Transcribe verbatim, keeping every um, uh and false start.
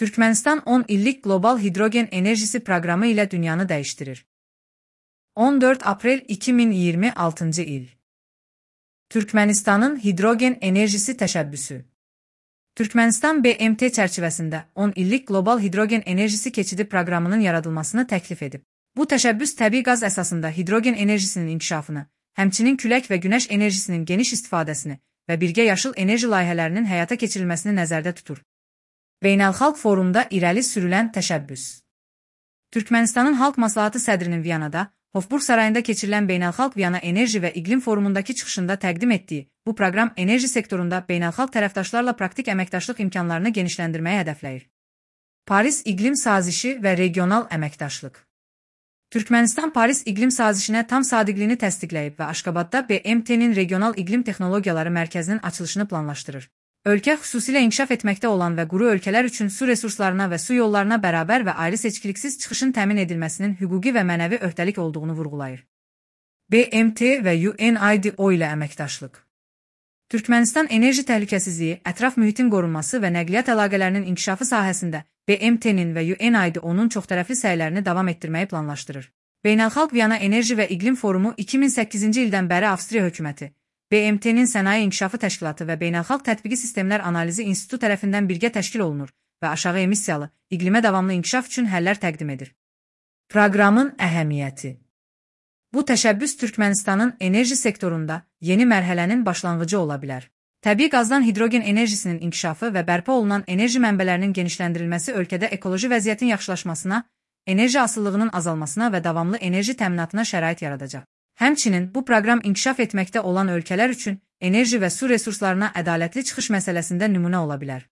Türkmenistan on illik Qlobal Hidrogen Enerjisi Proqramı ilə dünyanı dəyişdirir. on dörd aprel iki min iyirmi altıncı il. Türkmenistanın hidrogen enerjisi təşəbbüsü. Türkmenistan B M T çərçivəsində on illik Qlobal Hidrogen Enerjisi keçidi proqramının yaradılmasını təklif edib. Bu təşəbbüs təbii qaz əsasında hidrogen enerjisinin inkişafını, həmçinin külək və günəş enerjisinin geniş istifadəsini və birgə yaşıl enerji layihələrinin həyata keçirilməsini nəzərdə tutur. Beynəlxalq forumda irəli sürülən təşəbbüs. Türkmenistanın Xalq Məsləhəti sədrinin Viyanada, Hofburg sarayında keçirilən Beynəlxalq Viyana Enerji və İqlim Forumundakı çıxışında təqdim etdiyi bu proqram enerji sektorunda beynəlxalq tərəfdaşlarla praktik əməkdaşlıq imkanlarını genişləndirməyi hədəfləyir. Paris İqlim Sazişi və Regional Əməkdaşlıq. Türkmenistan Paris İqlim Sazişinə tam sadiqliyini təsdiqləyib və Aşqabadda B M T-nin Regional İqlim Texnologiyaları Mərkəzinin açılışını planlaşdırır. Ölkə xüsusilə inkişaf etməkdə olan və quru ölkələr üçün su resurslarına və su yollarına bərabər və ayrı seçkiliksiz çıxışın təmin edilməsinin hüquqi və mənəvi öhdəlik olduğunu vurğulayır. B M T və U N I D O ilə əməkdaşlıq. Türkmenistan enerji təhlükəsizliyi, ətraf mühitin qorunması və nəqliyyat əlaqələrinin inkişafı sahəsində B M T-nin və U N I D O-nun çoxtərəfli səylərini davam etdirməyi planlaşdırır. Beynəlxalq Viyana Enerji və İqlim Forumu iki min səkkizinci ildən bəri Avstriya hökuməti, B M T-nin Sənaye İnkişafı Təşkilatı və Beynəlxalq Tətbiqi Sistemlər Analizi İnstitutu tərəfindən birgə təşkil olunur və aşağı emissiyalı, iqlimə davamlı inkişaf üçün həllər təqdim edir. Proqramın əhəmiyyəti. Bu təşəbbüs Türkmenistanın enerji sektorunda yeni mərhələnin başlanğıcı ola bilər. Təbii qazdan hidrogen enerjisinin inkişafı və bərpa olunan enerji mənbələrinin genişləndirilməsi ölkədə ekoloji vəziyyətin yaxşılaşmasına, enerji asıllığının azalmasına və davamlı enerji təminatına şərait yaradacaq. Həmçinin bu proqram inkişaf etməkdə olan ölkələr üçün enerji və su resurslarına ədalətli çıxış məsələsində nümunə ola bilər.